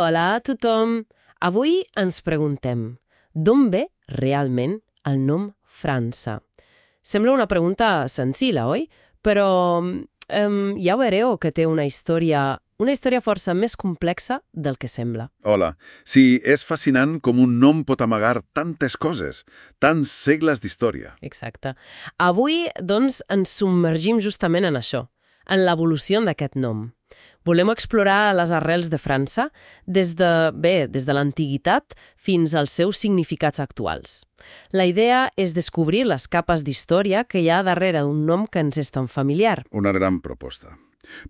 Hola a tothom! Avui ens preguntem d'on ve realment el nom França? Sembla una pregunta senzilla, oi? Però ja veureu que té una història força més complexa del que sembla. Hola. Sí, és fascinant com un nom pot amagar tantes coses, tants segles d'història. Exacte. Avui, doncs, ens submergim justament en això, en l'evolució d'aquest nom. Volem explorar les arrels de França des de l'antiguitat fins als seus significats actuals. La idea és descobrir les capes d'història que hi ha darrere d'un nom que ens és tan familiar. Una gran proposta.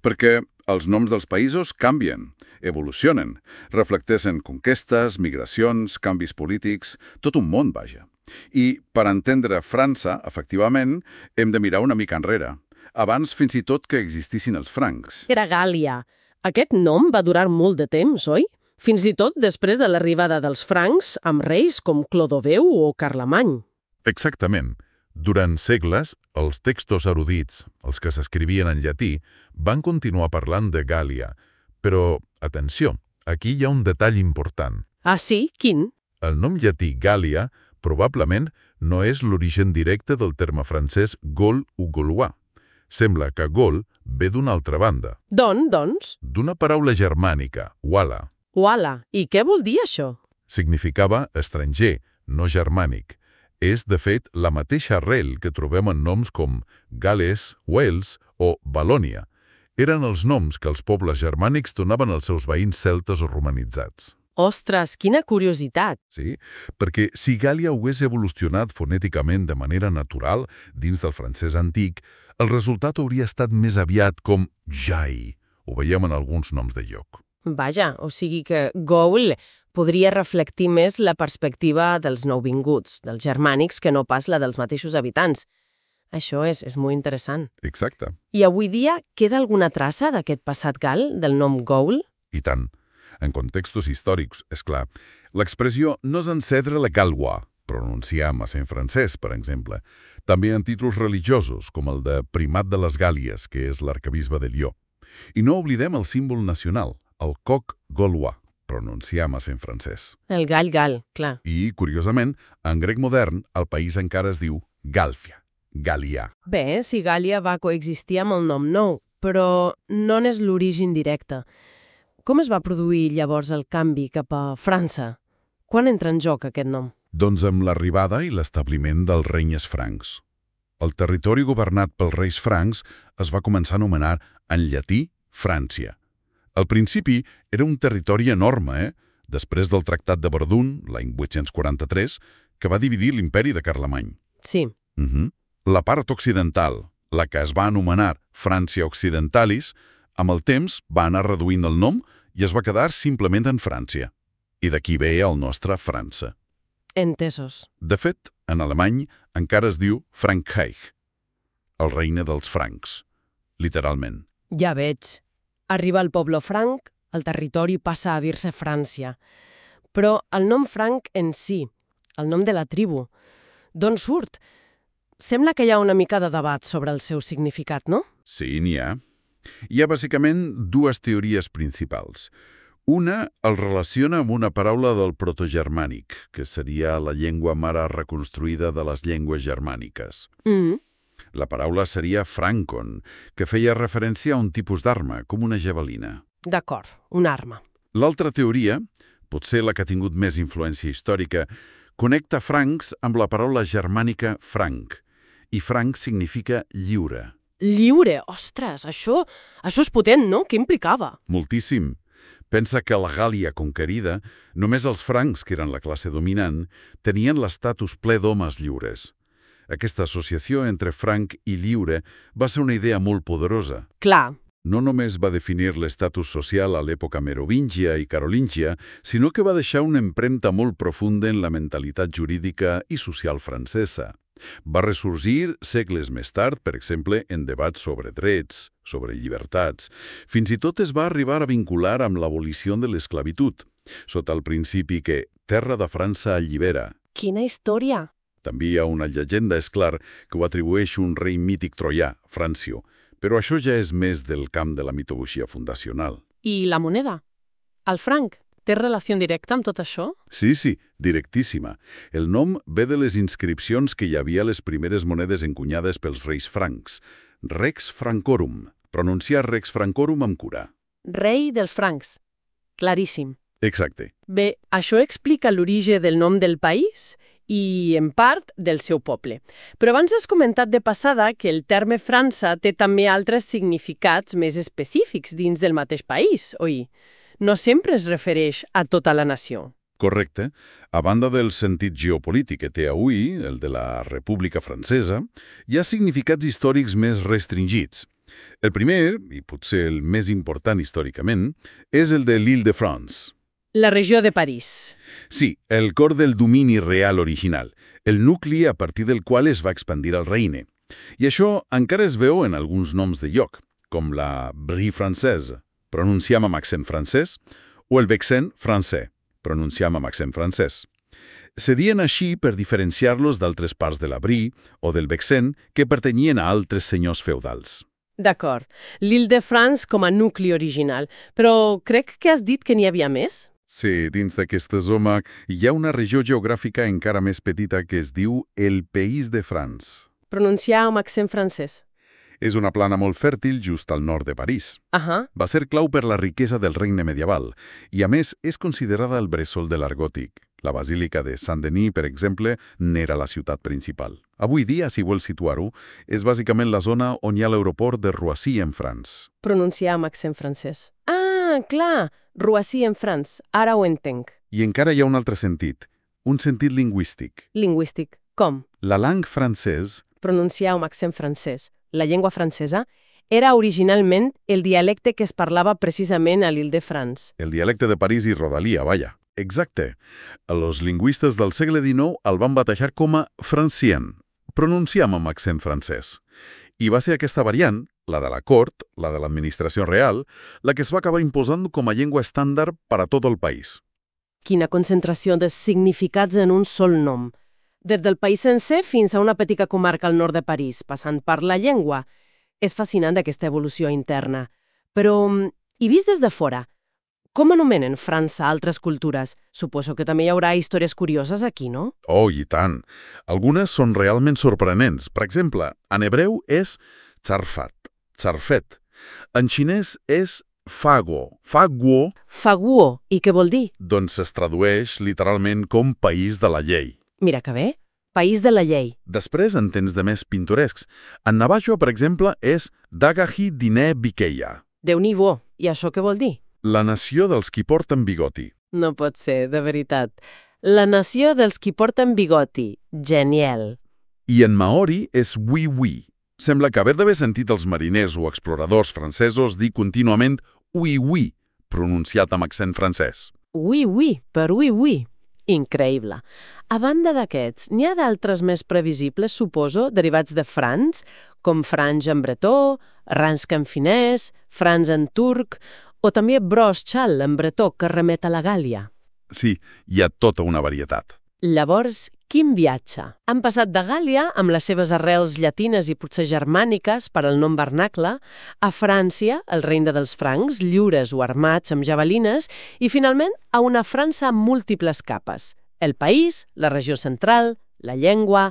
Perquè els noms dels països canvien, evolucionen, reflecteixen conquestes, migracions, canvis polítics, tot un món, vaja. I per entendre França, efectivament, hem de mirar una mica enrere, abans fins i tot que existissin els francs. Era Gàl·lia. Aquest nom va durar molt de temps, oi? Fins i tot després de l'arribada dels francs amb reis com Clodoveu o Carlemany. Exactament. Durant segles, els textos erudits, els que s'escrivien en llatí, van continuar parlant de Gàl·lia. Però, atenció, aquí hi ha un detall important. Ah, sí? Quin? El nom llatí Gàl·lia probablement no és l'origen directe del terme francès Gaul o Gaulois. Sembla que Gaul ve d'una altra banda. Doncs? D'una paraula germànica, Wala. Uala. I què vol dir això? Significava estranger, no germànic. És, de fet, la mateixa arrel que trobem en noms com Gales, Wales o Valònia. Eren els noms que els pobles germànics donaven als seus veïns celtes o romanitzats. Ostres, quina curiositat! Sí, perquè si Gàl·lia hagués evolucionat fonèticament de manera natural dins del francès antic, el resultat hauria estat més aviat com Jai. Ho veiem en alguns noms de lloc. Vaja, o sigui que Gaul podria reflectir més la perspectiva dels nouvinguts, dels germànics, que no pas la dels mateixos habitants. Això és molt interessant. Exacte. I avui dia queda alguna traça d'aquest passat gal, del nom Gaul? I tant. En contextos històrics, és clar, l'expressió no és encendre la Gaulois, pronunciam en francès, per exemple. També en títols religiosos, com el de Primat de les Gàlies, que és l'arquebisbe de Lió. I no oblidem el símbol nacional, el coq gaulois, pronunciam en francès. El gall, clar. I, curiosament, en grec modern, el país encara es diu Gàlfia, Gàl·lia. Bé, si Gàl·lia va coexistir amb el nom nou, però no n'és l'origen directe. Com es va produir llavors el canvi cap a França? Quan entra en joc aquest nom? Doncs amb l'arribada i l'establiment dels regnes francs. El territori governat pels reis francs es va començar a anomenar en llatí Frància. Al principi era un territori enorme, després del Tractat de Verdun, l'any 843, que va dividir l'imperi de Carlemany. Sí. La part occidental, la que es va anomenar Frància Occidentalis, amb el temps va anar reduint el nom i es va quedar simplement en Frància. I d'aquí ve el nostre França. Entesos. De fet, en alemany encara es diu Frankreich, el regne dels francs, literalment. Ja veig. Arriba el poble franc, el territori passa a dir-se Frància. Però el nom franc en si, el nom de la tribu, d'on surt? Sembla que hi ha una mica de debat sobre el seu significat, no? Sí, n'hi ha. Hi ha bàsicament dues teories principals. Una el relaciona amb una paraula del protogermànic, que seria la llengua mare reconstruïda de les llengües germàniques. La paraula seria francon, que feia referència a un tipus d'arma, com una javelina. D'acord, una arma. L'altra teoria, potser la que ha tingut més influència històrica, connecta francs amb la paraula germànica franc, i franc significa lliure. Lliure! Ostres, això és potent, no? Què implicava? Moltíssim. Pensa que a la Gàl·lia conquerida, només els francs, que eren la classe dominant, tenien l'estatus ple d'homes lliures. Aquesta associació entre franc i lliure va ser una idea molt poderosa. Clar. No només va definir l'estatus social a l'època merovíngia i carolíngia, sinó que va deixar una empremta molt profunda en la mentalitat jurídica i social francesa. Va ressorgir segles més tard, per exemple, en debats sobre drets, sobre llibertats. Fins i tot es va arribar a vincular amb l'abolició de l'esclavitud, sota el principi que terra de França allibera. Quina història! També hi ha una llegenda, és clar, que ho atribueix un rei mític troià, Francio, però això ja és més del camp de la mitologia fundacional. I la moneda? El franc? Té relació directa amb tot això? Sí, directíssima. El nom ve de les inscripcions que hi havia a les primeres monedes encunyades pels reis francs. Rex Francorum. Pronunciar Rex Francorum amb cura. Rei dels francs. Claríssim. Exacte. Bé, això explica l'origen del nom del país i, en part, del seu poble. Però abans has comentat de passada que el terme França té també altres significats més específics dins del mateix país, oi? No sempre es refereix a tota la nació. Correcte. A banda del sentit geopolític que té avui, el de la República Francesa, hi ha significats històrics més restringits. El primer, i potser el més important històricament, és el de l'Île-de-France. La regió de París. Sí, el cor del domini real original, el nucli a partir del qual es va expandir el regne. I això encara es veu en alguns noms de lloc, com la Brie Française, pronunciam amb accent francès, o el Vexin francès, pronunciam amb accent francès. Se dien així per diferenciar-los d'altres parts de la Brie o del Vexin que pertanyien a altres senyors feudals. D'acord. L'Île-de-France com a nucli original. Però crec que has dit que n'hi havia més? Sí, dins d'aquesta zona hi ha una regió geogràfica encara més petita que es diu el Pays de France. Pronunciar amb accent francès. És una plana molt fèrtil just al nord de París. Va ser clau per la riquesa del regne medieval i, a més, és considerada el bressol de l'art gòtic. La Basílica de Saint-Denis, per exemple, n'era la ciutat principal. Avui dia, si vols situar-ho, és bàsicament la zona on hi ha l'aeroport de Roissy en France. Pronunciar amb accent francès. Ah, clar! Roissy en France. Ara ho entenc. I encara hi ha un altre sentit, un sentit lingüístic. Lingüístic. Com? La langue francès... Pronunciar amb accent francès. La llengua francesa era originalment el dialecte que es parlava precisament a l'Île-de-France. El dialecte de París i Rodalia, vaja. Exacte. Els lingüistes del segle XIX el van batejar com a francien, pronunciam amb accent francès. I va ser aquesta variant, la de la cort, la de l'administració real, la que es va acabar imposant com a llengua estàndard per a tot el país. Quina concentració de significats en un sol nom. Des del país sencer fins a una petita comarca al nord de París, passant per la llengua. És fascinant aquesta evolució interna. Però, i vist des de fora, com anomenen França altres cultures? Suposo que també hi haurà històries curioses aquí, no? Oh, i tant! Algunes són realment sorprenents. Per exemple, en hebreu és Tsarfat, Tsarfet. En xinès és Faguo, Faguo. Faguo, i què vol dir? Doncs es tradueix literalment com país de la llei. Mira que bé, país de la llei. Després, en temps de més pintorescs. En navajo, per exemple, és Dagahi Dine Bikeya. Déu-n'hi-do, i això què vol dir? La nació dels qui porten bigoti. No pot ser, de veritat. La nació dels qui porten bigoti. Genial. I en maori és oui-oui. Sembla que haver d'haver sentit els mariners o exploradors francesos dir contínuament oui-oui, pronunciat amb accent francès. Oui-oui, per oui-oui. Increïble. A banda d'aquests, n'hi ha d'altres més previsibles, suposo, derivats de francs, com franc en bretó, ransk en finès, franc en turc, o també brosch-chal en bretó, que remet a la Gàlia. Sí, hi ha tota una varietat. Llavors, quin viatge? Han passat de Gàlia, amb les seves arrels llatines i potser germàniques per al nom vernacle, a França, el regne dels francs, lliures o armats amb javelines, i finalment a una França amb múltiples capes. El país, la regió central, la llengua,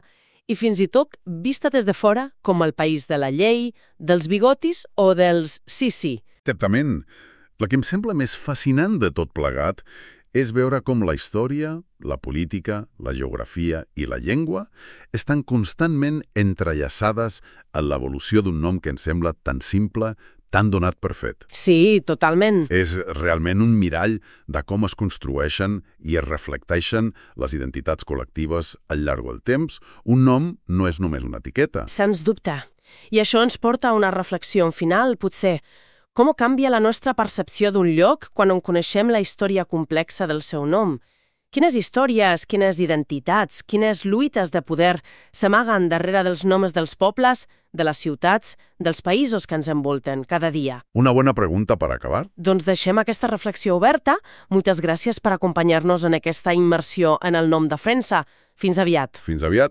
i fins i tot vista des de fora com el país de la llei, dels bigotis o dels sí. Certament. La que em sembla més fascinant de tot plegat és veure com la història, la política, la geografia i la llengua estan constantment entrellaçades en l'evolució d'un nom que ens sembla tan simple, tan donat per fet. Sí, totalment. És realment un mirall de com es construeixen i es reflecteixen les identitats col·lectives al llarg del temps. Un nom no és només una etiqueta. Sens dubte. I això ens porta a una reflexió final, potser. Com canvia la nostra percepció d'un lloc quan en coneixem la història complexa del seu nom? Quines històries, quines identitats, quines lluites de poder s'amaguen darrere dels noms dels pobles, de les ciutats, dels països que ens envolten cada dia? Una bona pregunta per acabar. Doncs deixem aquesta reflexió oberta. Moltes gràcies per acompanyar-nos en aquesta immersió en el nom de França. Fins aviat. Fins aviat.